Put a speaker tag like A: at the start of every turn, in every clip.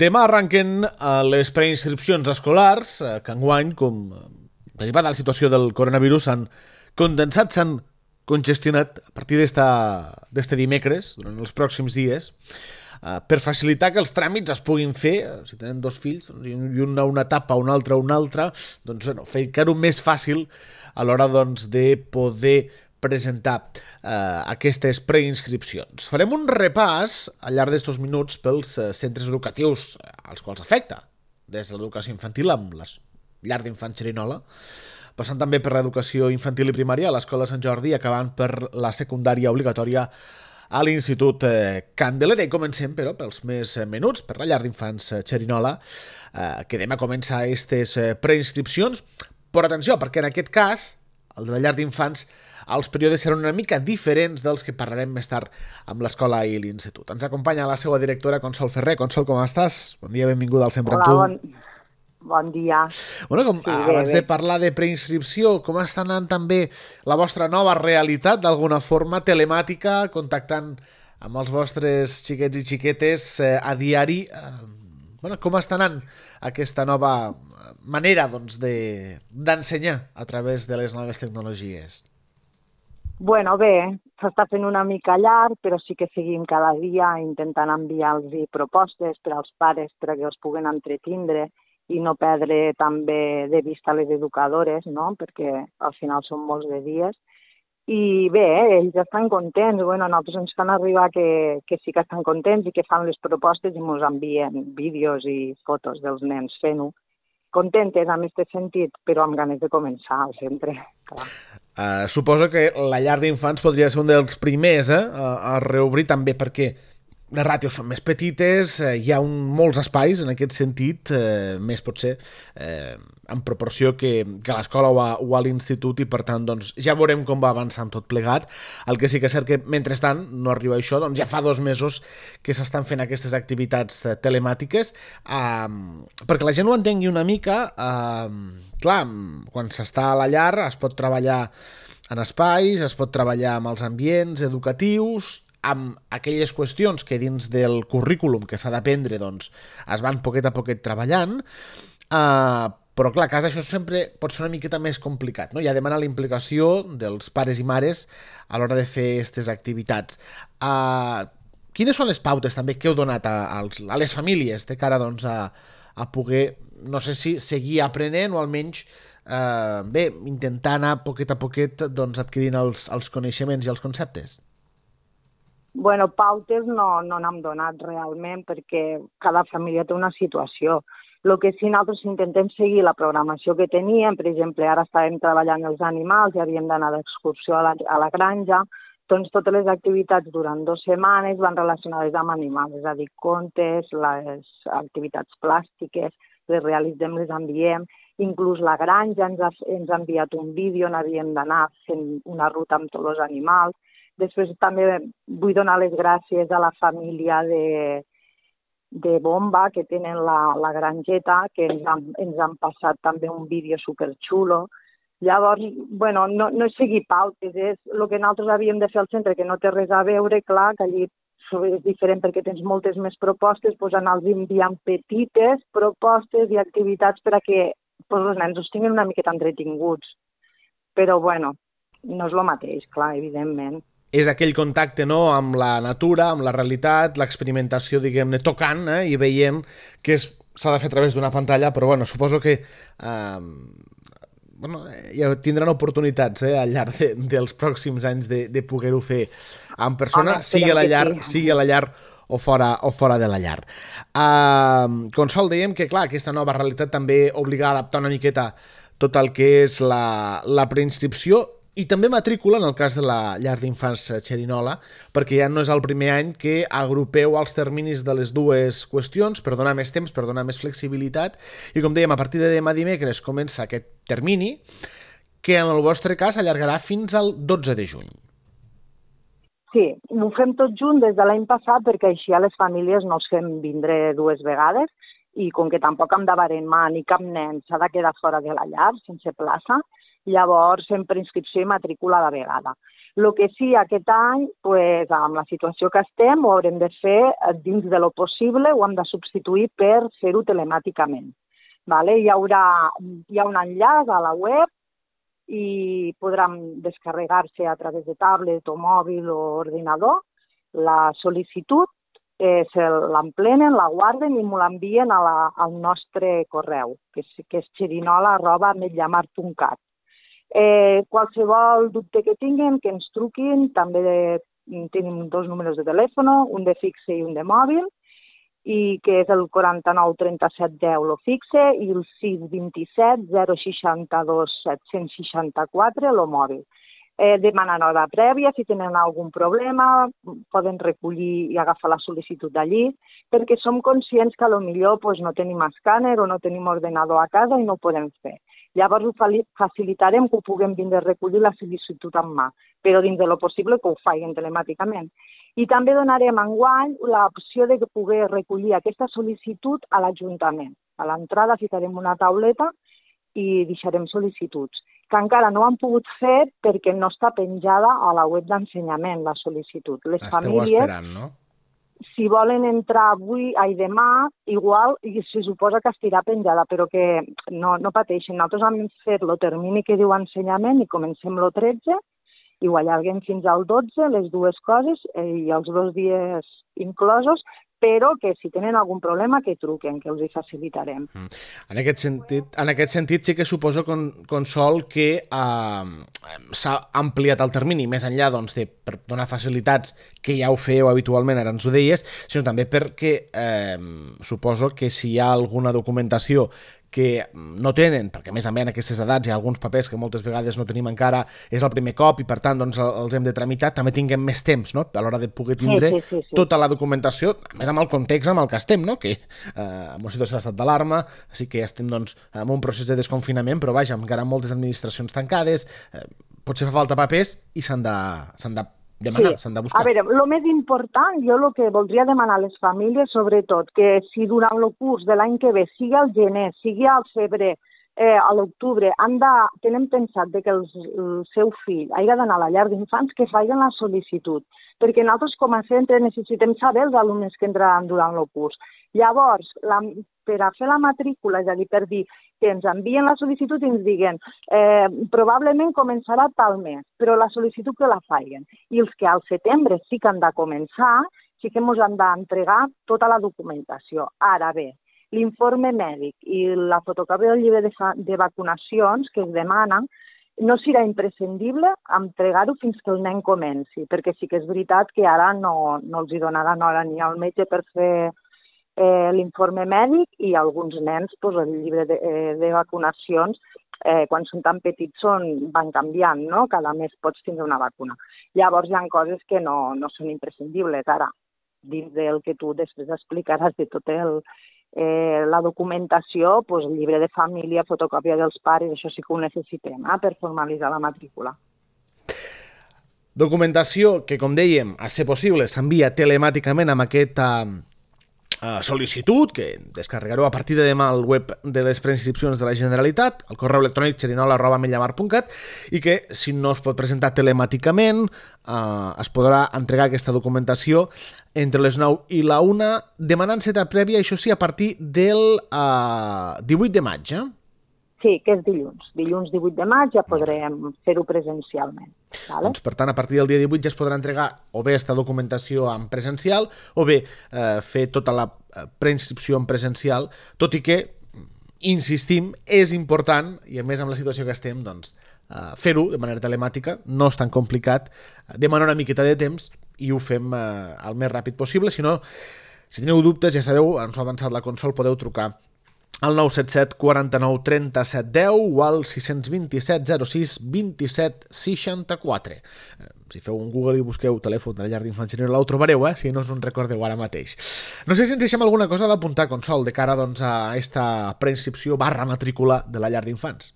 A: Demà arrenquen les preinscripcions escolars, que enguany, com derivada de la situació del coronavirus, s'han condensat, s'han congestionat a partir d'este dimecres, durant els pròxims dies, per facilitar que els tràmits es puguin fer, si tenen dos fills, i una etapa, una altra, doncs fer-ho més fàcil a l'hora de poder presentar aquestes preinscripcions. Farem un repàs al llarg d'estos minuts pels centres educatius als quals afecta, des de l'educació infantil amb la llar d'infants Xerinola, passant també per l'educació infantil i primària a l'Escola Sant Jordi i acabant per la secundària obligatòria a l'Institut Candelera. I comencem, però, pels més menuts, per la llar d'infants Xerinola, que demà comença aquestes preinscripcions. Però atenció, perquè en aquest cas, el de la llar d'infants, els períodes seran una mica diferents dels que parlarem més tard amb l'escola i l'institut. Ens acompanya la seva directora, Consol Ferrer. Consol, com estàs? Bon dia, benvinguda al Sempre amb tu.
B: Hola, bon dia.
A: Bueno, abans de parlar de preinscripció, com està anant també la vostra nova realitat, d'alguna forma telemàtica, contactant amb els vostres xiquets i xiquetes a diari? Com està anant aquesta nova manera d'ensenyar a través de les noves tecnologies?
B: Bueno, bé, s'està fent una mica llarg, però sí que seguim cada dia intentant enviar-los propostes per als pares perquè els puguen entretindre i no perdre també de vista les educadores, no? Perquè al final són molts de dies. I bé, ells estan contents. Bueno, a nosaltres ens fan arribar que sí que estan contents i que fan les propostes i ens envien vídeos i fotos dels nens fent-ho. Contentes en aquest sentit, però amb ganes de començar sempre, clar.
A: Suposo que la llar d'infants podria ser un dels primers a reobrir, també perquè les ràtios són més petites, hi ha molts espais en aquest sentit, més potser en proporció que a l'escola o a l'institut, i per tant ja veurem com va avançant tot plegat. El que sí que és cert que mentrestant no arriba això, ja fa 2 mesos que s'estan fent aquestes activitats telemàtiques, perquè la gent ho entengui una mica. Clar, quan s'està a la llar es pot treballar en espais, es pot treballar amb els ambients educatius, amb aquelles qüestions que dins del currículum que s'ha d'aprendre es van poquet a poquet treballant, però clar, a casa això sempre pot ser una miqueta més complicat, no? Ja demana la implicació dels pares i mares a l'hora de fer aquestes activitats. Quines són les pautes també que heu donat a les famílies de cara a poder, no sé si seguir aprenent o almenys intentar anar poquet a poquet adquirint els coneixements i els conceptes?
B: Bueno, pautes no n'hem donat realment perquè cada família té una situació. El que sí, nosaltres intentem seguir la programació que teníem. Per exemple, ara estàvem treballant els animals i havíem d'anar d'excursió a la granja. Doncs totes les activitats durant 2 setmanes van relacionades amb animals, és a dir, contes, les activitats plàstiques, les realitzem, les enviem. Inclús la granja ens ha enviat un vídeo on havíem d'anar fent una ruta amb tots els animals. Després també vull donar les gràcies a la família de Bomba, que tenen la granjeta, que ens han passat també un vídeo superxulo. Llavors, bueno, no és seguir pautes, és el que nosaltres havíem de fer al centre, que no té res a veure, clar, que allí és diferent perquè tens moltes més propostes, doncs anar-los enviant petites propostes i activitats per a que els nens els tinguin una miqueta entretinguts. Però, bueno, no és el mateix, clar, evidentment.
A: És aquell contacte, no?, amb la natura, amb la realitat, l'experimentació, diguem-ne, tocant, i veiem que s'ha de fer a través d'una pantalla, però bueno, suposo que ja tindran oportunitats al llarg dels pròxims anys de poder-ho fer en persona, sigui a la llar o fora de la llar. Consol, dèiem que, clar, aquesta nova realitat també obliga a adaptar una miqueta tot el que és la preinscripció i també matrícula, en el cas de la llar d'infants Xerinola, perquè ja no és el primer any que agrupeu els terminis de les dues qüestions per donar més temps, per donar més flexibilitat, i com dèiem, a partir de demà dimecres comença aquest termini, que en el vostre cas allargarà fins al 12 de juny.
B: Sí, ho fem tot junt des de l'any passat perquè així a les famílies no els fem vindre 2 vegades i com que tampoc hem de baremar ni cap nen s'ha de quedar fora de la llar sense plaça, llavors fem preinscripció i matrícula a la vegada. El que sí, aquest any, pues, amb la situació que estem, ho haurem de fer dins de lo possible, ho hem de substituir per fer-ho telemàticament. Vale? Hi ha un enllaç a la web i podran descarregar-se a través de tablet o mòbil o ordinador la sol·licitud, l'emplenen, la guarden i m'ho l'envien al nostre correu, que és xerinola@metllamar.cat. Qualsevol dubte que tinguin, que ens truquin, també tenim 2 números de telèfon, un de fixe i un de mòbil, i que és el 49 37 10 lo fixe i el 627 062 764 lo mòbil. Demanen hora prèvia, si tenen algun problema, poden recollir i agafar la sol·licitud d'allí, perquè som conscients que potser no tenim escàner o no tenim ordenador a casa i no ho podem fer. Llavors ho facilitarem que ho puguem vindre a recollir la sol·licitud en mà, però dins de lo possible que ho facin telemàticament. I també donarem enguany l'opció de poder recollir aquesta sol·licitud a l'Ajuntament. A l'entrada ficarem una tauleta i deixarem sol·licituds, que encara no han pogut fer perquè no està penjada a la web d'ensenyament, la sol·licitud. Les famílies,
A: esperant, no?
B: Si volen entrar demà, igual se suposa que estirà penjada, però que no pateixin. Nosaltres hem fet el termini que diu ensenyament i comencem el 13 i ho allarguem fins al 12, les dues coses, i els 2 dies inclosos, però que si tenen algun problema que truquen, que els hi facilitarem.
A: En aquest sentit sí que suposo, Consol, que s'ha ampliat el termini, més enllà per donar facilitats que ja ho fèieu habitualment, ara ens ho deies, sinó també perquè suposo que si hi ha alguna documentació que no tenen, perquè a més en aquestes edats hi ha alguns papers que moltes vegades no tenim encara, és el primer cop i per tant els hem de tramitar, també tinguem més temps, no?, a l'hora de poder tindre tota la documentació, a més amb el context amb el que estem, no?, que en una situació d'estat d'alarma, sí que ja estem en un procés de desconfinament, però vaja, encara moltes administracions tancades, potser fa falta papers i s'han de demanar, s'han de buscar.
B: A veure, el més important, jo el que voldria demanar a les famílies, sobretot, que si durant el curs de l'any que ve, sigui al gener, sigui al febrer, a l'octubre, tenen pensat que el seu fill hagi d'anar a la llar d'infants, que facin la sol·licitud, perquè nosaltres com a centre necessitem saber els alumnes que entraran durant el curs. Llavors, per a fer la matrícula, és a dir, per dir que ens envien la sol·licitud i ens diguen probablement començarà tal mes, però la sol·licitud que la facin. I els que al setembre sí que han de començar, sí que ens han d'entregar tota la documentació. Ara bé, l'informe mèdic i la fotocòpia del llibre de vacunacions que es demanen no serà imprescindible entregar-ho fins que el nen comenci, perquè sí que és veritat que ara no els hi donaran hora ni al metge per fer l'informe mèdic i alguns nens el llibre de vacunacions quan són tan petits van canviant, no? Cada mes pots tindre una vacuna. Llavors hi ha coses que no són imprescindibles. Ara, dins del que tu després explicaràs de tota la documentació, el llibre de família, fotocòpia dels pares, això sí que ho necessitem per formalitzar la matrícula.
A: Documentació que, com dèiem, a ser possible, s'envia telemàticament amb aquesta sol·licitud que descarregareu a partir de demà al web de les preinscripcions de la Generalitat, al correu electrònic xerinola@metllamar.cat, i que si no es pot presentar telemàticament es podrà entregar aquesta documentació entre les 9 i la 1, demanant cita prèvia, això sí, a partir del 18 de maig,
B: Sí, que és dilluns. Dilluns 18 de maig ja podrem fer-ho presencialment.
A: Doncs, per tant, a partir del dia 18 ja es podrà entregar o bé aquesta documentació en presencial o bé fer tota la preinscripció en presencial, tot i que, insistim, és important, i a més amb la situació que estem, doncs, fer-ho de manera telemàtica, no és tan complicat, demana una miqueta de temps i ho fem el més ràpid possible. Si no, si teniu dubtes, ja sabeu, ens ho ha avançat la Consol, podeu trucar al 977 49 37 10 o al 627 06 27 64. Si feu un Google i busqueu telèfon de la llar d'infants Xerinola, ho trobareu, si no us en recordeu ara mateix. No sé si ens deixem alguna cosa d'apuntar, Consol, de cara a aquesta preinscripció / matrícula de la llar d'infants.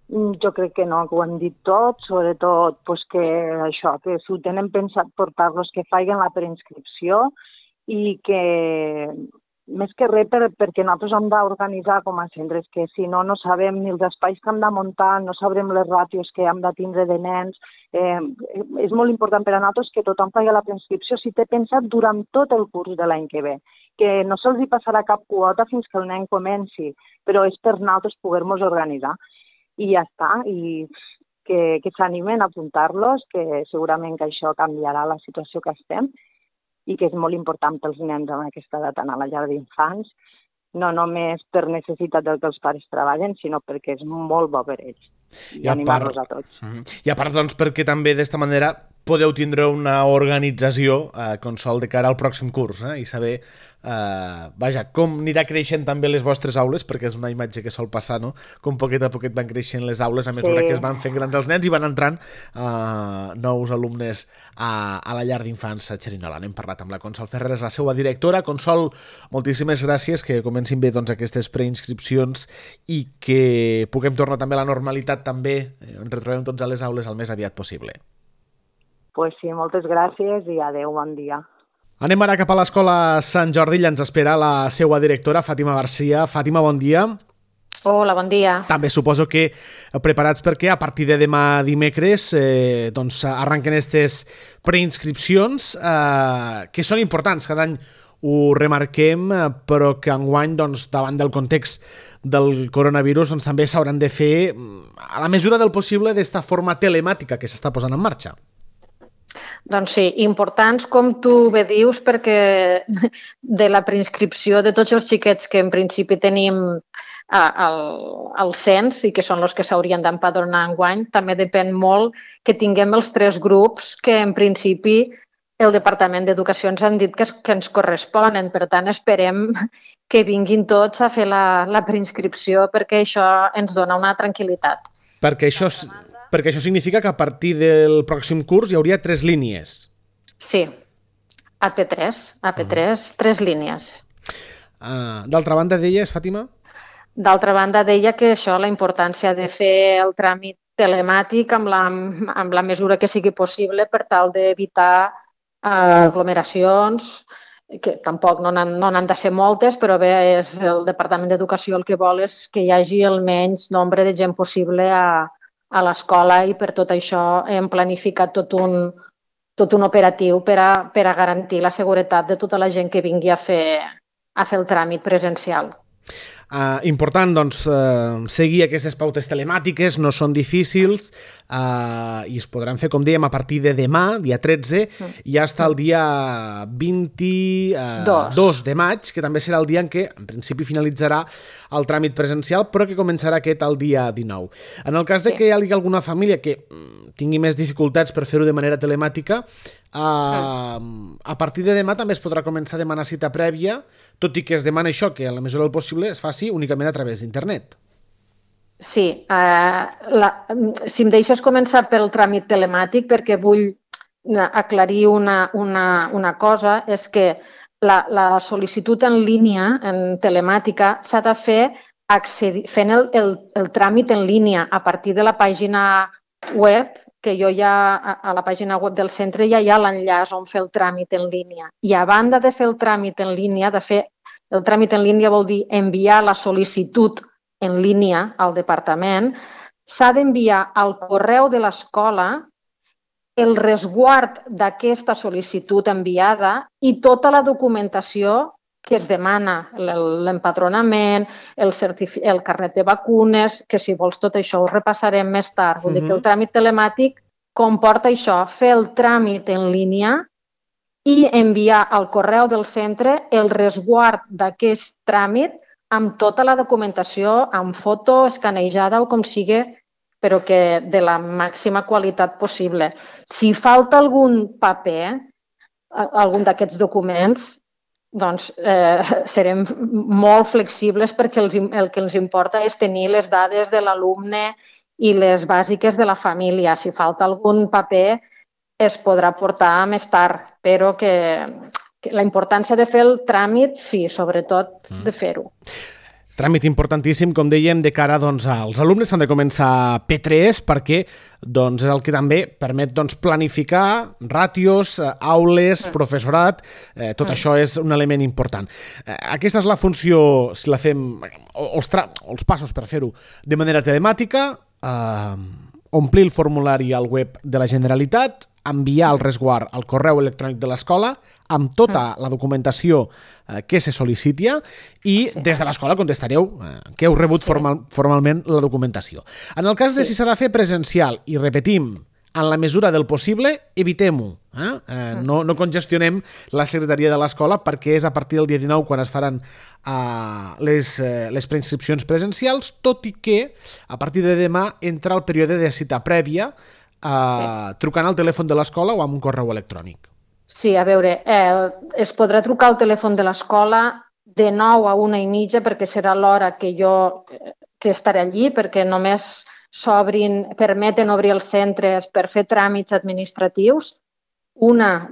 B: Jo crec que no, que ho hem dit tot, sobretot que si ho tenen pensat portar-los que facin la preinscripció i que més que res perquè nosaltres hem d'organitzar com a centres, que si no, no sabem ni els espais que hem de muntar, no sabrem les ràtios que hem de tindre de nens. És molt important per a nosaltres que tothom faci la preinscripció si té pensat durant tot el curs de l'any que ve, que no se'ls hi passarà cap quota fins que el nen comenci, però és per nosaltres poder-nos organitzar. I ja està, i que s'animen a apuntar-los, que segurament que això canviarà la situació que estem, i que és molt important pels nens en aquesta edat anar a la llar d'infants, no només per necessitat del que els pares treballen, sinó perquè és molt bo per ells. I animar-los a tots.
A: I a part, doncs, perquè també d'esta manera podeu tindre una organització Consol de cara al pròxim curs i saber com anirà creixent també les vostres aules, perquè és una imatge que sol passar, no? Com poquet a poquet van creixent les aules a mesura que es van fent grans els nens i van entrant nous alumnes a la llar d'infants a Xerinola. N'hem parlat amb la Consol Ferreres, la seva directora. Consol, moltíssimes gràcies, que comencin bé aquestes preinscripcions i que puguem tornar també a la normalitat, també ens retrobem tots a les aules el més aviat possible.
B: Pues sí, moltes gràcies i adeu, bon dia.
A: Anem ara cap a l'Escola Sant Jordi, allà ens espera la seva directora, Fàtima Garcia. Fàtima, bon dia.
C: Hola, bon dia.
A: També suposo que preparats perquè a partir de demà dimecres arrenquen aquestes preinscripcions que són importants, cada any ho remarquem, però que enguany, davant del context del coronavirus, també s'hauran de fer a la mesura del possible d'esta forma telemàtica que s'està posant en marxa.
C: Doncs sí, importants, com tu bé dius, perquè de la preinscripció de tots els xiquets que en principi tenim al cens i que són els que s'haurien d'empadronar enguany, també depèn molt que tinguem els 3 grups que en principi el Departament d'Educació ens han dit que ens corresponen. Per tant, esperem que vinguin tots a fer la preinscripció perquè això ens dona una tranquil·litat.
A: Perquè això significa que a partir del pròxim curs hi hauria 3 línies.
C: Sí, AP3, 3 línies.
A: D'altra banda, deies, Fàtima?
C: D'altra banda, deia que això, la importància de fer el tràmit telemàtic amb la mesura que sigui possible per tal d'evitar aglomeracions, que tampoc no n'han de ser moltes, però bé, és el Departament d'Educació el que vol és que hi hagi el menys nombre de gent possible a l'escola i per tot això hem planificat tot un operatiu per a garantir la seguretat de tota la gent que vingui a fer el tràmit presencial.
A: Important, seguir aquestes pautes telemàtiques, no són difícils i es podran fer, com dèiem, a partir de demà, dia 13, i fins al dia 22 de maig, que també serà el dia en què, en principi, finalitzarà el tràmit presencial, però que començarà aquest el dia 19. En el cas de que hi hagi alguna família que tingui més dificultats per fer-ho de manera telemàtica, a partir de demà també es podrà començar a demanar cita prèvia, tot i que es demana això, que en la mesura del possible es faci únicament a través d'internet.
C: Sí, si em deixes començar pel tràmit telemàtic, perquè vull aclarir una cosa, és que la sol·licitud en línia, en telemàtica, s'ha de fer fent el tràmit en línia a partir de la pàgina web, que jo ja a la pàgina web del centre ja hi ha l'enllaç on fer el tràmit en línia. I a banda de fer el tràmit en línia, el tràmit en línia vol dir enviar la sol·licitud en línia al departament, s'ha d'enviar al correu de l'escola el resguard d'aquesta sol·licitud enviada i tota la documentació que es demana, l'empadronament, el carnet de vacunes, que si vols tot això ho repassarem més tard. Vull dir que el tràmit telemàtic comporta això, fer el tràmit en línia i enviar al correu del centre el resguard d'aquest tràmit amb tota la documentació, amb foto, escanejada o com sigui, però que de la màxima qualitat possible. Si falta algun paper, algun d'aquests documents, doncs serem molt flexibles perquè el que ens importa és tenir les dades de l'alumne i les bàsiques de la família. Si falta algun paper es podrà portar més tard, però que la importància de fer el tràmit, sí, sobretot de fer-ho.
A: Tràmit importantíssim, com dèiem, de cara als alumnes. S'han de començar P3 perquè és el que també permet planificar ràtios, aules, professorat. Tot això és un element important. Aquesta és la funció, si la fem, els passos per fer-ho de manera telemàtica, omplir el formulari al web de la Generalitat, enviar el resguard al correu electrònic de l'escola amb tota la documentació que se sol·liciti i des de l'escola contestareu que heu rebut formalment la documentació. En el cas de si s'ha de fer presencial, i repetim, en la mesura del possible, evitem-ho. No congestionem la secretaria de l'escola perquè és a partir del dia 19 quan es faran les preinscripcions presencials, tot i que a partir de demà entra el període de cita prèvia trucant al telèfon de l'escola o amb un correu electrònic.
C: Sí, a veure, es podrà trucar al telèfon de l'escola de 9 a 1:30 perquè serà l'hora que estaré allí, perquè només permeten obrir els centres per fer tràmits administratius. Una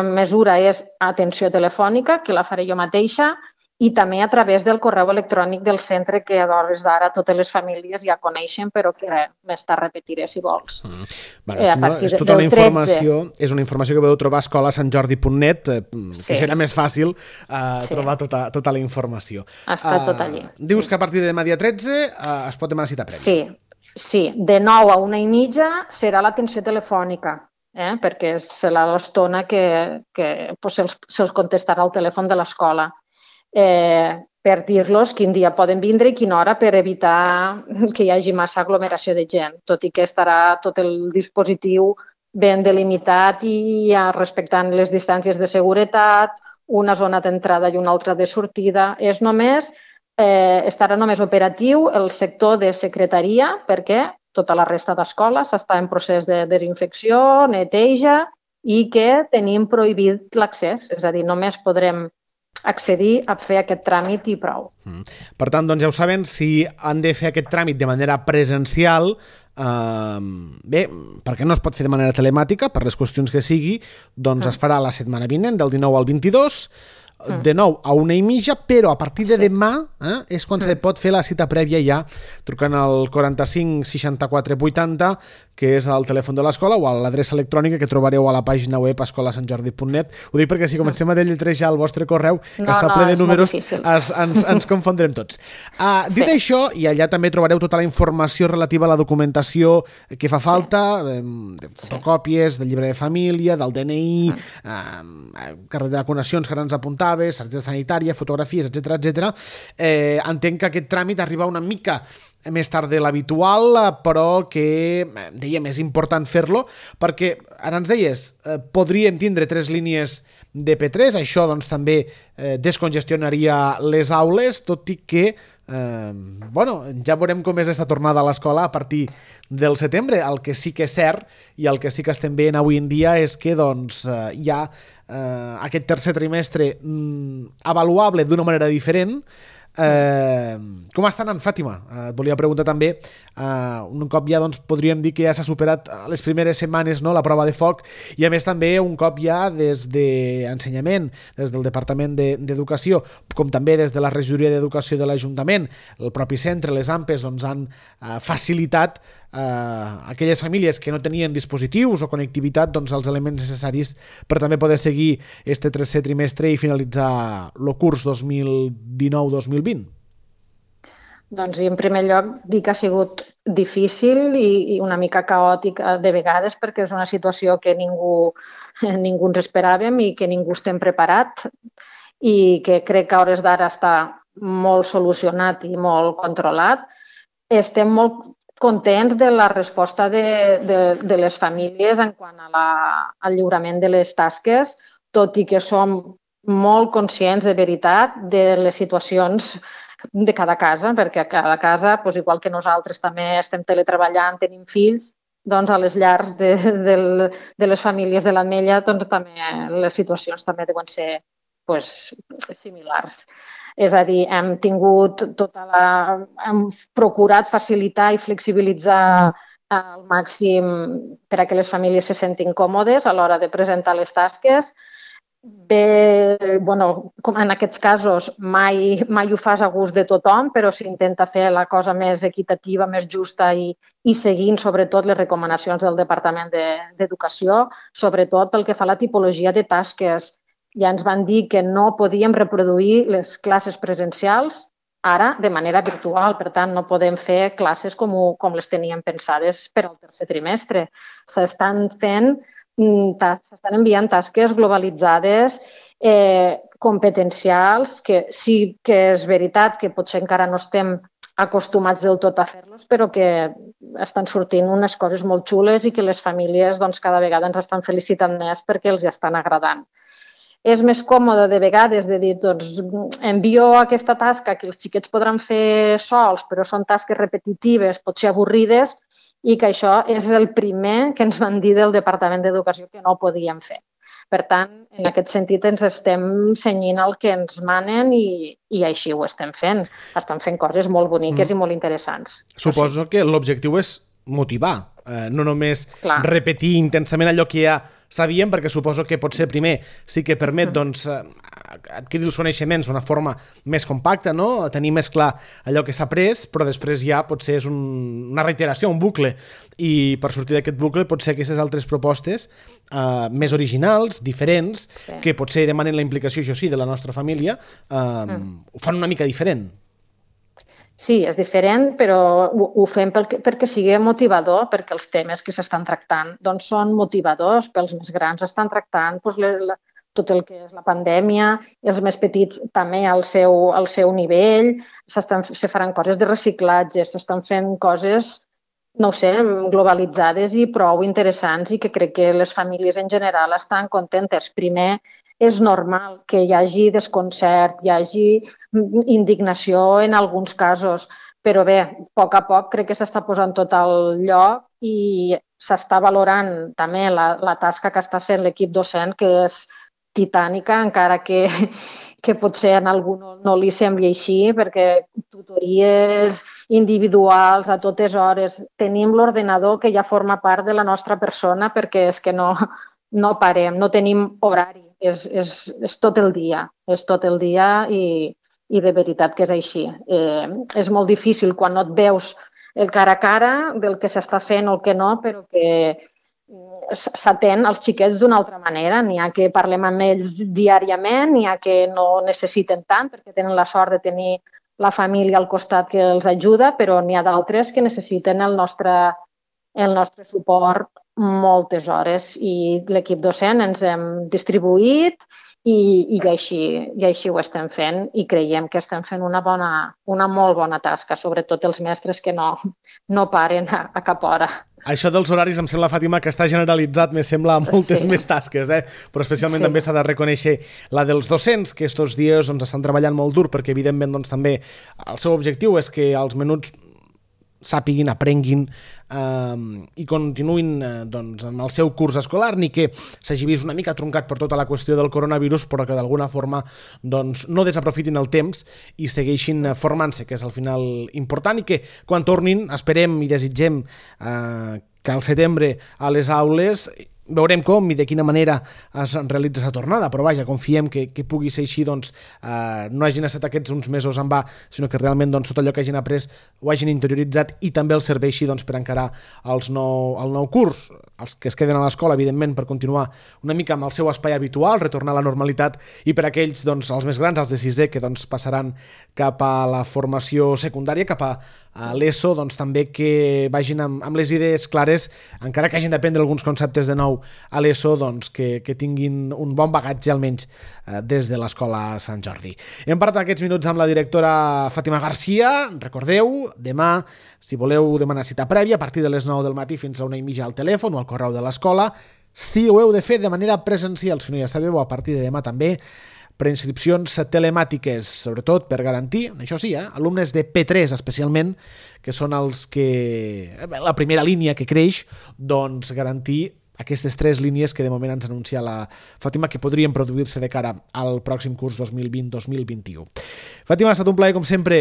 C: mesura és atenció telefònica, que la faré jo mateixa, i també a través del correu electrònic del centre, que a hores d'ara totes les famílies ja coneixen, però que més tard repetiré si vols.
A: És tota una informació, és una informació que podeu trobar a escolasantjordi.net, que serà més fàcil trobar tota la informació.
C: Està tot allí.
A: Dius que a partir de demà dia 13 es pot demanar cita prèvia.
C: Sí, de 9 a 1:30 serà l'atenció telefònica, perquè serà l'estona que se'ls contestarà al telèfon de l'escola. Per dir-los quin dia poden vindre i quina hora, per evitar que hi hagi massa aglomeració de gent, tot i que estarà tot el dispositiu ben delimitat i respectant les distàncies de seguretat, una zona d'entrada i una altra de sortida. Estarà només operatiu el sector de secretaria, perquè tota la resta d'escoles està en procés de desinfecció, neteja, i que tenim prohibit l'accés, és a dir, només podrem accedir a fer aquest tràmit i prou.
A: Per tant, ja ho saben, si han de fer aquest tràmit de manera presencial, perquè no es pot fer de manera telemàtica, per les qüestions que sigui, doncs es farà la setmana vinent, del 19 al 22, de 9 a 1:30, però a partir de demà és quan se pot fer la cita prèvia ja trucant al 45 64 80, que és el telèfon de l'escola, o a l'adreça electrònica que trobareu a la pàgina web escolasantjordi.net. Ho dic perquè si comencem a deletrejar el vostre correu, que està ple de números, ens confondrem tots. Dit això, i allà també trobareu tota la informació relativa a la documentació que fa falta, de fotocòpies, del llibre de família, del DNI, carnet de vacunacions que ara ens apuntaves, targeta sanitària, fotografies, etc. Entenc que aquest tràmit arriba una mica més tard de l'habitual, però que, dèiem, és important fer-lo, perquè, ara ens deies, podríem tindre 3 línies de P3, això doncs també descongestionaria les aules, tot i que ja veurem com és aquesta tornada a l'escola a partir del setembre. El que sí que és cert i el que sí que estem veient avui en dia és que hi ha aquest tercer trimestre avaluable d'una manera diferent. Com està anant, Fàtima? Et volia preguntar també, un cop ja podríem dir que ja s'ha superat les primeres setmanes la prova de foc, i a més també un cop ja des d'ensenyament, des del Departament d'Educació, com també des de la Regidoria d'Educació de l'Ajuntament, el propi centre, les AMPEs, han facilitat a aquelles famílies que no tenien dispositius o connectivitat els elements necessaris per també poder seguir este tercer trimestre i finalitzar el curs 2019-2020.
C: Doncs en primer lloc dic que ha sigut difícil i una mica caòtic de vegades, perquè és una situació que ningú ens esperàvem i que ningú estem preparat, i que crec que a hores d'ara està molt solucionat i molt controlat. Estem molt contents de la resposta de les famílies en quant al lliurament de les tasques, tot i que som molt conscients de veritat de les situacions de cada casa, perquè a cada casa, igual que nosaltres també estem teletreballant, tenim fills, doncs a les llars de les famílies de l'Ametlla també les situacions també deuen ser similars. És a dir, hem procurat facilitar i flexibilitzar al màxim per a que les famílies se sentin còmodes a l'hora de presentar les tasques. bé, bueno, com en aquests casos mai ho fas a gust de tothom, però s'intenta fer la cosa més equitativa, més justa i seguint sobretot les recomanacions del Departament d'Educació, sobretot pel que fa a la tipologia de tasques. Ja ens van dir que no podíem reproduir les classes presencials ara de manera virtual, per tant no podem fer classes com les teníem pensades per al tercer trimestre. S'estan enviant tasques globalitzades, competencials, que sí que és veritat que potser encara no estem acostumats del tot a fer-los, però que estan sortint unes coses molt xules i que les famílies cada vegada ens estan felicitant més perquè els estan agradant. És més còmode de vegades de dir, envio aquesta tasca que els xiquets podran fer sols, però són tasques repetitives, potser avorrides, i que això és el primer que ens van dir del Departament d'Educació que no podíem fer. Per tant, en aquest sentit ens estem cenyint al que ens manen i així ho estem fent. Estan fent coses molt boniques i molt interessants.
A: Suposo que l'objectiu és motivar, no només repetir intensament allò que ja sabíem, perquè suposo que potser primer sí que permet adquirir els coneixements d'una forma més compacta, no? Tenir més clar allò que s'ha après, però després ja potser és una reiteració, un bucle, i per sortir d'aquest bucle potser aquestes altres propostes més originals, diferents, que potser demanen la implicació, això sí, de la nostra família, ho fan una mica diferent.
C: Sí, és diferent, però ho fem perquè sigui motivador, perquè els temes que s'estan tractant són motivadors. Pels més grans estan tractant tot el que és la pandèmia, els més petits també al seu nivell, se faran coses de reciclatge, s'estan fent coses, no ho sé, globalitzades i prou interessants i que crec que les famílies en general estan contentes. Primer, és normal que hi hagi desconcert, hi hagi indignació en alguns casos, però bé, a poc crec que s'està posant tot al lloc i s'està valorant també la tasca que està fent l'equip docent, que és titànica, encara que potser a algú no li sembli així, perquè tutories individuals a totes hores, tenim l'ordenador que ja forma part de la nostra persona perquè és que no parem, no tenim horari, és tot el dia i de veritat que és així. És molt difícil quan no et veus el cara a cara del que s'està fent o el que no, però que s'atén als xiquets d'una altra manera. N'hi ha que parlem amb ells diàriament, n'hi ha que no necessiten tant perquè tenen la sort de tenir la família al costat que els ajuda, però n'hi ha d'altres que necessiten el nostre suport moltes hores i l'equip docent ens hem distribuït i així ho estem fent i creiem que estem fent una molt bona tasca, sobretot els mestres que no paren a cap hora.
A: Això dels horaris em sembla, Fàtima, que està generalitzat, me sembla, a moltes més tasques, però especialment també s'ha de reconèixer la dels docents, que estos dies estan treballant molt dur, perquè evidentment també el seu objectiu és que els menuts sàpiguin, aprenguin i continuïn amb el seu curs escolar, ni que s'hagi vist una mica truncat per tota la qüestió del coronavirus, però que d'alguna forma no desaprofitin el temps i segueixin formant-se, que és al final important, i que quan tornin esperem i desitgem que al setembre a les aules veurem com i de quina manera es realitza la tornada, però vaja, confiem que pugui ser així, no hagin estat aquests uns mesos en va, sinó que realment tot allò que hagin après ho hagin interioritzat i també els serveixi per encarar el nou curs. Els que es queden a l'escola, evidentment, per continuar una mica amb el seu espai habitual, retornar a la normalitat, i per aquells, els més grans, els de sisè, que passaran cap a la formació secundària, cap a l'ESO, també que vagin amb les idees clares, encara que hagin d'aprendre alguns conceptes de nou a l'ESO, que tinguin un bon bagatge, almenys des de l'Escola Sant Jordi. Hem parlat aquests minuts amb la directora Fàtima Garcia. Recordeu, demà, si voleu demanar cita prèvia, a partir de les 9 del matí fins a 1:30 al telèfon o al correu de l'escola, si ho heu de fer de manera presencial, si no ja sabeu, a partir de demà també, preinscripcions telemàtiques, sobretot per garantir, això sí, alumnes de P3 especialment, que són els que, la primera línia que creix, garantir aquestes 3 línies que de moment ens anuncia la Fàtima que podrien produir-se de cara al pròxim curs 2020-2021. Fàtima, ha estat un plaer com sempre,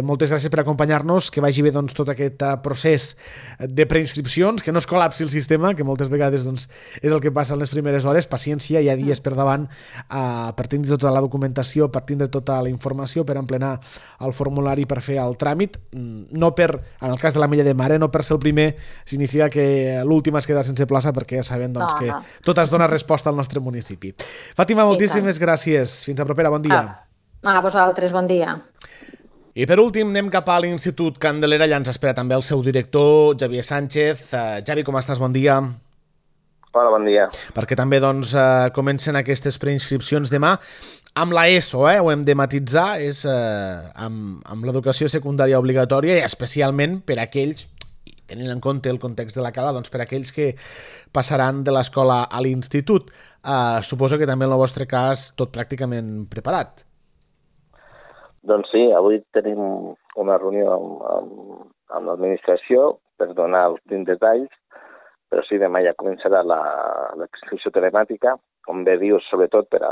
A: moltes gràcies per acompanyar-nos, que vagi bé doncs, tot aquest procés de preinscripcions, que no es col·lapsi el sistema, que moltes vegades doncs, és el que passa en les primeres hores, paciència, hi ha dies per davant per tindre tota la documentació, per tindre tota la informació, per emplenar el formulari per fer el tràmit, no per, en el cas de la Mella de Mar, no per ser el primer significa que l'últim es queda sense plaça, perquè ja sabem doncs, que tot es dona resposta al nostre municipi. Fàtima, moltíssimes gràcies. Fins a propera, bon dia.
C: A vosaltres, bon dia.
A: I per últim anem cap a l'Institut Candelera, allà ens espera també el seu director, Xavier Sánchez. Javi, com estàs? Bon dia.
D: Hola, bon dia.
A: Perquè també doncs, comencen aquestes preinscripcions demà amb l'ESO, ho hem de matitzar, és amb l'educació secundària obligatòria i especialment per aquells, tenint en compte el context de la cala, doncs per aquells que passaran de l'escola a l'institut. Suposo que també en el vostre cas tot pràcticament preparat.
D: Doncs sí, avui tenim una reunió amb l'administració per donar els últims detalls, però sí, demà ja començarà l'excursió telemàtica, com bé dius, sobretot per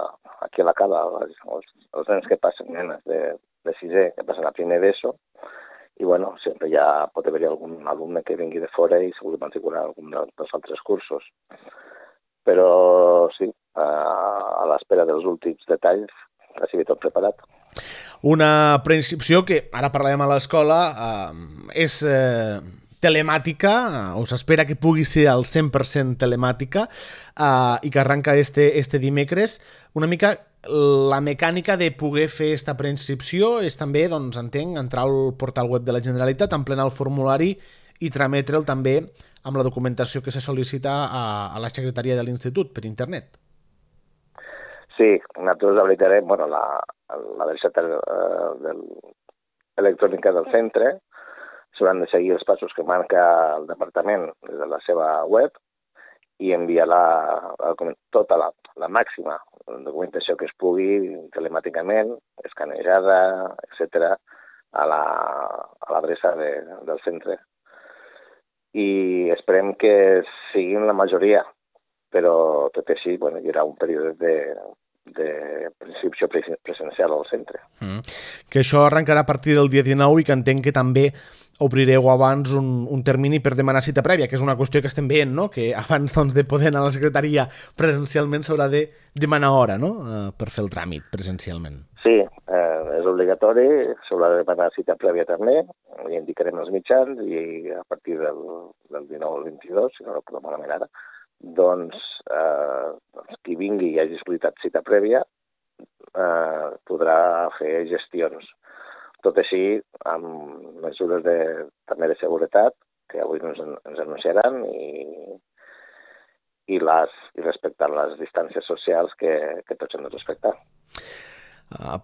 D: aquí a la cala, els nens que passen, nenes de sisè, que passen a primer d'ESO, i bueno, sempre ja pot haver-hi algun alumne que vingui de fora i segur que matricular algun dels altres cursos. Però sí, a l'espera dels últims detalls, quasi tot preparat.
A: Una preinscripció que, ara parlem a l'escola, és telemàtica, o s'espera que pugui ser al 100% telemàtica, i que arranca este dimecres. Una mica la mecànica de poder fer aquesta preinscripció és també, doncs, entenc, entrar al portal web de la Generalitat, emplenar el formulari i trametre'l també amb la documentació que se sol·licita a la secretaria de l'Institut per internet.
D: Sí, nosaltres habilitarem l'adreça electrònica del centre, s'hauran de seguir els passos que marca el departament des de la seva web i enviar tota la màxima documentació que es pugui telemàticament, escanejada, etc., a l'adreça del centre. I esperem que siguin la majoria, però tot i així hi haurà un període de preinscripció presencial al centre.
A: Que això arrencarà a partir del dia 19 i que entenc que també obrireu abans un termini per demanar cita prèvia, que és una qüestió que estem veient, no? Que abans doncs, de poder anar a la secretaria presencialment s'haurà de demanar hora, no? Per fer el tràmit presencialment.
D: Sí, és obligatori, s'haurà de demanar cita prèvia també, i indicarem els mitjans i a partir del 19 al 22, si no recordo malament ara, doncs qui vingui i hagi sol·licitat cita prèvia podrà fer gestions. Tot així, amb mesures també de seguretat, que avui ens anunciaran, i respectant les distàncies socials que tots hem de respectar.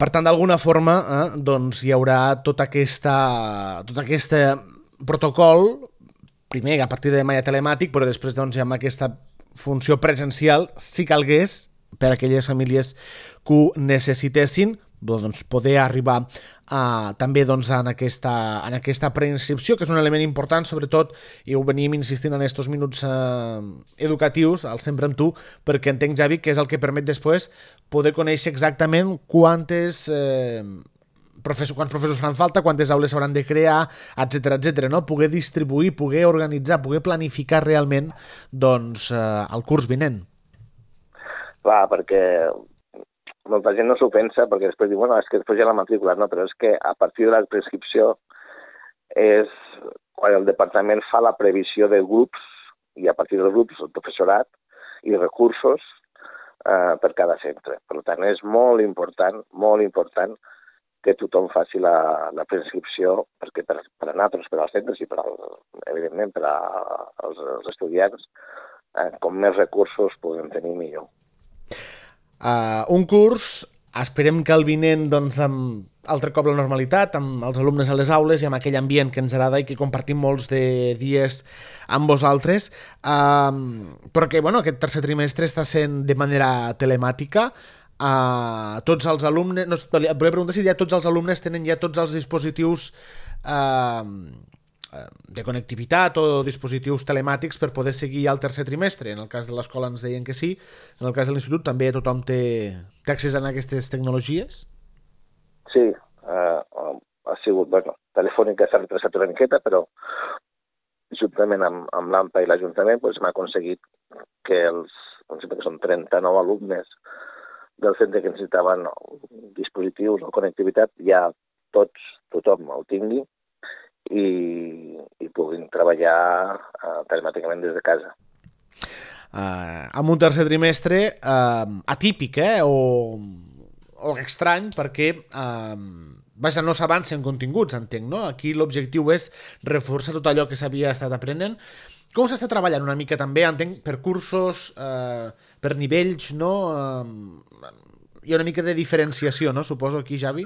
A: Per tant, d'alguna forma, doncs hi haurà tot aquest protocol, primer a partir de demà ja telemàtic, però després doncs, ja amb aquesta funció presencial, si calgués, per a aquelles famílies que ho necessitessin, doncs, poder arribar també doncs, en aquesta preinscripció, que és un element important, sobretot, i ho venim insistint en aquests minuts educatius, al Sempre amb tu, perquè entenc, Javi, que és el que permet després poder conèixer exactament quants professors faran falta, quantes aules s'hauran de crear, etc., no? Poder distribuir, poder organitzar, poder planificar realment doncs, el curs vinent.
D: Clar, perquè molta gent no s'ho pensa, perquè després diu, és que després ja la matrícula, no, però és que a partir de la prescripció és quan el departament fa la previsió de grups, i a partir dels grups el professorat i recursos per cada centre. Per tant, és molt important que tothom faci la prescripció, perquè per a nosaltres, per als centres i evidentment per als estudiants, com més recursos podem tenir millor.
A: Un curs, esperem que el vinent, doncs, amb altre cop la normalitat, amb els alumnes a les aules i amb aquell ambient que ens agrada i que compartim molts de dies amb vosaltres, però que aquest tercer trimestre està sent de manera telemàtica. Tots els alumnes, et volia preguntar si ja tots els alumnes tenen ja tots els dispositius de connectivitat o dispositius telemàtics per poder seguir al tercer trimestre. En el cas de l'escola ens deien que sí, en el cas de l'institut també tothom té accés a aquestes tecnologies?
D: Sí, ha sigut, Telefònica s'ha retrasat una miqueta, però juntament amb l'AMPA i l'Ajuntament hem aconseguit que que són 39 alumnes del centre que necessitaven dispositius o connectivitat, ja tothom ho tingui i puguin treballar telemàticament des de casa.
A: Amb un tercer trimestre atípic o estrany, perquè no s'avancen continguts, entenc, no? Aquí l'objectiu és reforçar tot allò que s'havia estat aprenent. Com s'està treballant una mica també, entenc, per cursos, per nivells, no? Hi ha una mica de diferenciació, no? Suposo aquí, Javi?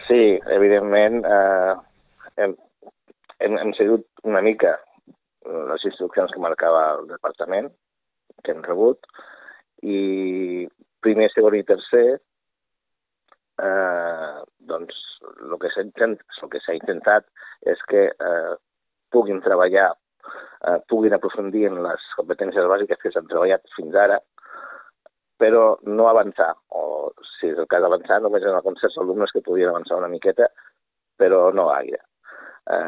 D: Sí, evidentment hem seguit una mica les instruccions que marcava el departament, que hem rebut, i primer, segon i tercer, doncs el que s'ha intentat és que puguin treballar, puguin aprofundir en les competències bàsiques que s'han treballat fins ara, però no avançar, o si és el cas d'avançar, només en alguns certs alumnes que podien avançar una miqueta, però no gaire.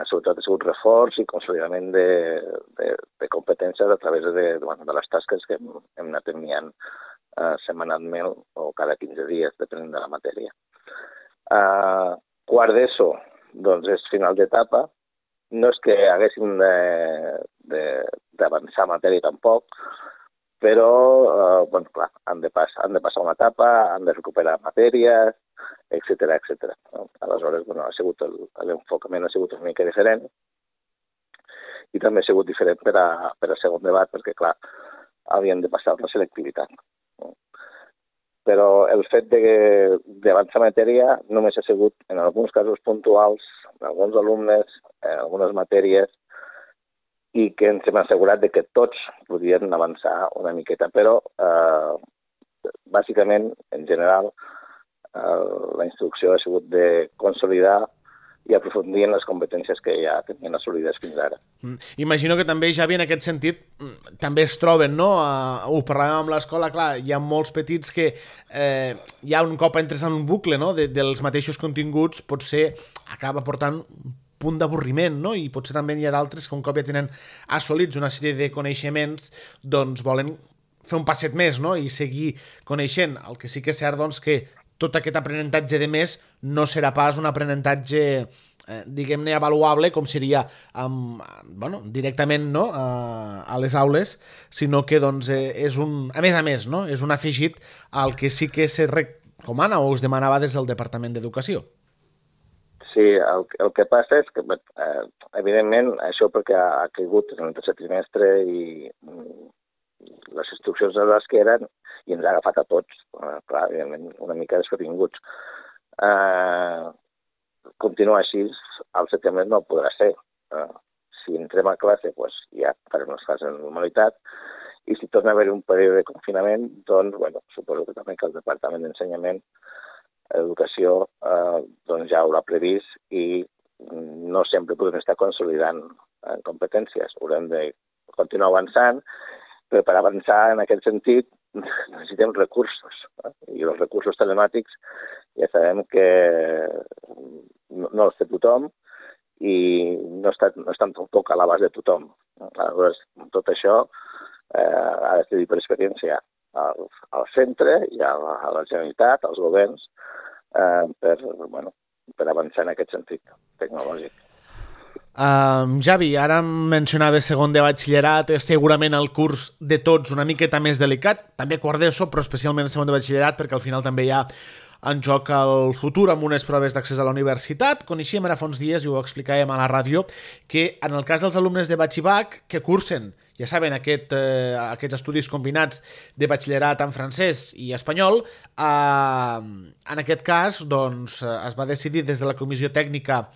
D: Sobretot ha sigut reforç i consolidament de competències a través de les tasques que hem anat enviant setmanalment o cada 15 dies, depenent de la matèria. Quart d'ESO, doncs és final d'etapa. No és que haguéssim d'avançar matèria tampoc, però, clar, han de passar una etapa, han de recuperar matèries, etcètera. Aleshores, l'enfocament ha sigut una mica diferent i també ha sigut diferent per al segon debat, perquè, clar, havien de passar la selectivitat. Però el fet d'avançar matèria només ha sigut, en alguns casos puntuals, en alguns alumnes, en algunes matèries, i que ens hem assegurat que tots podien avançar una miqueta, però bàsicament, en general, la instrucció ha sigut de consolidar i aprofundir en les competències que ja tenien assolides fins ara.
A: Imagino que també, Javi, en aquest sentit, també es troben, no? Ho parlàvem amb l'escola, clar, hi ha molts petits que ja un cop entres en un bucle, no?, dels mateixos continguts, potser acaba portant un punt d'avorriment, no? I potser també hi ha d'altres que un cop ja tenen assolits una sèrie de coneixements, doncs volen fer un passet més, no?, i seguir coneixent. El que sí que és cert, doncs, que tot aquest aprenentatge de més no serà pas un aprenentatge, diguem-ne, avaluable, com seria directament, no?, a les aules, sinó que doncs, és a més, no?, és un afegit al que sí que se recomana o es demanava des del Departament d'Educació.
D: Sí, el que passa és que, evidentment, això perquè ha caigut en el tercer trimestre i les instruccions de les que eren i ens ha agafat a tots, clar, evidentment, una mica desprevinguts. Continuar així al setembre no podrà ser. Si entrem a classe, doncs ja farem les classes en normalitat, i si torna a haver un període de confinament, doncs, suposo que també que el Departament d'Ensenyament, Educació, doncs ja ho haurà previst i no sempre podem estar consolidant competències. Haurem de continuar avançant, però per avançar en aquest sentit necessitem recursos. I els recursos telemàtics ja sabem que no els té tothom i no estan tampoc a l'abast de tothom. Aleshores, tot això ha de ser per experiència al centre i a la Generalitat, als governs, per avançar en aquest sentit tecnològic.
A: Javi, ara mencionaves segon de batxillerat, és segurament el curs de tots una miqueta més delicat, també quart d'ESO, però especialment segon de batxillerat, perquè al final també hi ha en joc el futur amb unes proves d'accés a la universitat. Coneixíem ara fa uns dies, i ho explicàvem a la ràdio, que en el cas dels alumnes de batxibac que cursen, ja saben, aquests estudis combinats de batxillerat en francès i espanyol, en aquest cas doncs, es va decidir des de la comissió tècnica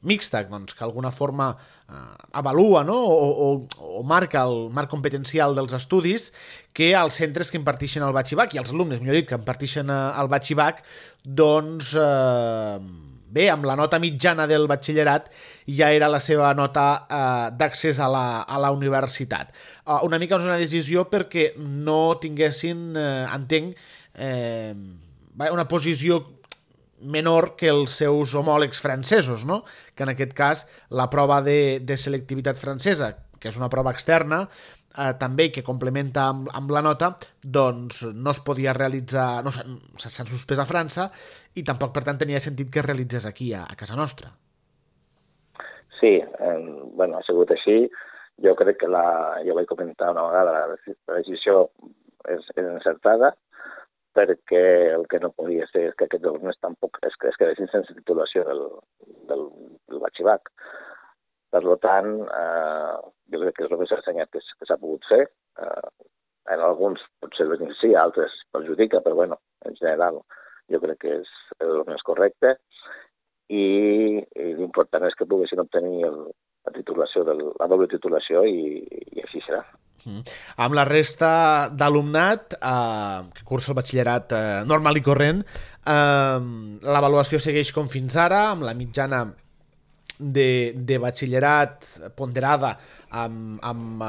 A: mixta, doncs, que d'alguna forma avalua, no?, o marca el marc competencial dels estudis, que els centres que impartixen el batxibac, i els alumnes, millor dit, que impartixen el batxibac, doncs bé, amb la nota mitjana del batxillerat ja era la seva nota d'accés a la universitat. Una mica és una decisió perquè no tinguessin, entenc, una posició menor que els seus homòlegs francesos, no? Que en aquest cas la prova de selectivitat francesa, que és una prova externa, també que complementa amb la nota, doncs no es podia realitzar, no, s'han suspès a França i tampoc, per tant, tenia sentit que es realitzés aquí, a casa nostra.
D: Sí, ha sigut així. Jo crec que jo vaig comentar una vegada, la decisió és encertada, perquè el que no podia ser és que aquests alumnes tampoc es quedessin sense titulació del batxibac. Per tant, jo crec que és el més assenyat que s'ha pogut fer. En alguns potser el beneficia, altres perjudica, però bueno, en general jo crec que és el més correcte. I l'important és que poguessin obtenir la titulació, la doble titulació, i així serà.
A: Amb la resta d'alumnat que cursa el batxillerat normal i corrent, l'avaluació segueix com fins ara, amb la mitjana de batxillerat ponderada amb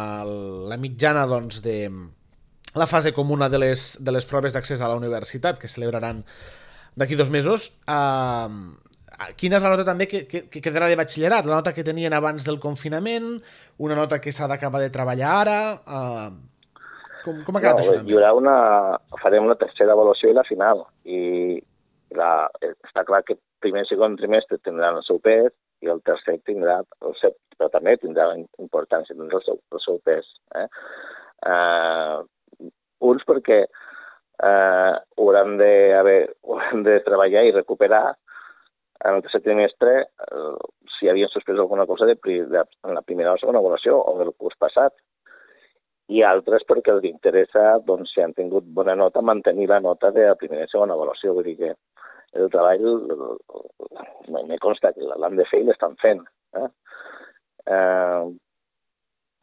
A: la mitjana, doncs, de la fase comuna de les proves d'accés a la universitat, que celebraran d'aquí 2 mesos. Quina és la nota també que quedarà de batxillerat? La nota que tenien abans del confinament? Una nota que s'ha d'acabar de treballar ara? Com ha quedat això?
D: Farem una tercera avaluació i la final. I està clar que primer i segon trimestre tindran el seu pes i el tercer tindrà el seu, però també tindrà importància, tindrà el seu pes. Uns perquè hauran de treballar i recuperar en el tercer trimestre si havien suspès alguna cosa en la primera o segona avaluació o del curs passat. I altres perquè els interessa, doncs, si han tingut bona nota, mantenir la nota de la primera i segona avaluació. Vull dir que el treball me consta que l'han de fer i l'estan fent.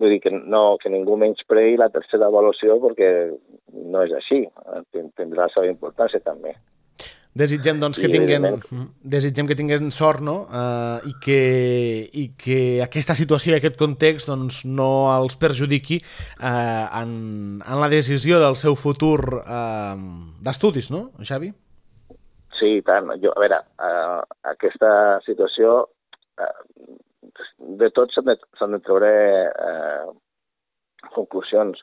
D: Vull dir que ningú menyspreï la tercera avaluació, perquè no és així. Tindrà la seva importància també.
A: Desitgem, doncs, que tinguin sort, no? I que aquesta situació i aquest context, doncs, no els perjudiqui en la decisió del seu futur d'estudis, no, Xavi?
D: Sí, i tant. A veure, aquesta situació, de tot s'han de treure conclusions.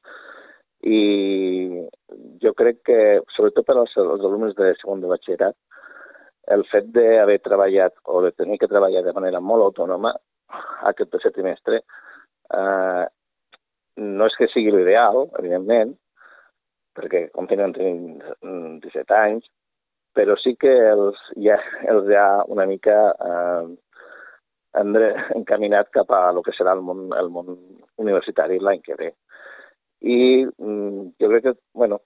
D: I jo crec que, sobretot per als alumnes de segon de batxillerat, el fet d'haver treballat o de tenir que treballar de manera molt autònoma aquest tercer trimestre no és que sigui l'ideal, evidentment, perquè continuen tenint 17 anys, però sí que els ha una mica encaminat cap a el que serà el món universitari l'any que ve. I jo crec que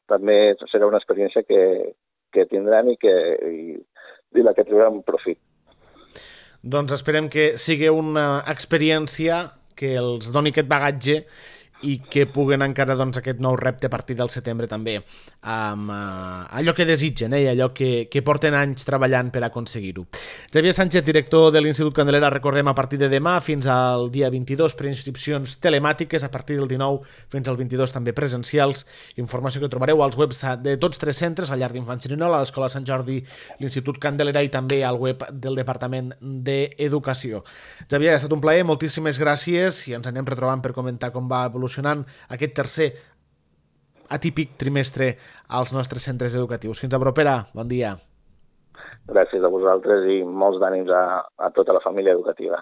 D: també serà una experiència que tindran i de la que trauran profit.
A: Doncs esperem que sigui una experiència que els doni aquest bagatge i que puguen encara, doncs, aquest nou repte a partir del setembre també amb allò que desitgen i allò que porten anys treballant per aconseguir-ho. Xavier Sánchez, director de l'Institut Candelera, recordem, a partir de demà fins al dia 22 per inscripcions telemàtiques, a partir del 19 fins al 22 també presencials. Informació que trobareu als webs de tots 3 centres, al Llar d'Infants Xerinola, a l'Escola Sant Jordi, l'Institut Candelera i també al web del Departament d'Educació. Xavier, ha estat un plaer, moltíssimes gràcies i ens anem retrobant per comentar com va evolucionant aquest tercer atípic trimestre als nostres centres educatius. Fins a propera, bon dia.
D: Gràcies a vosaltres i molts d'ànims a tota la família educativa.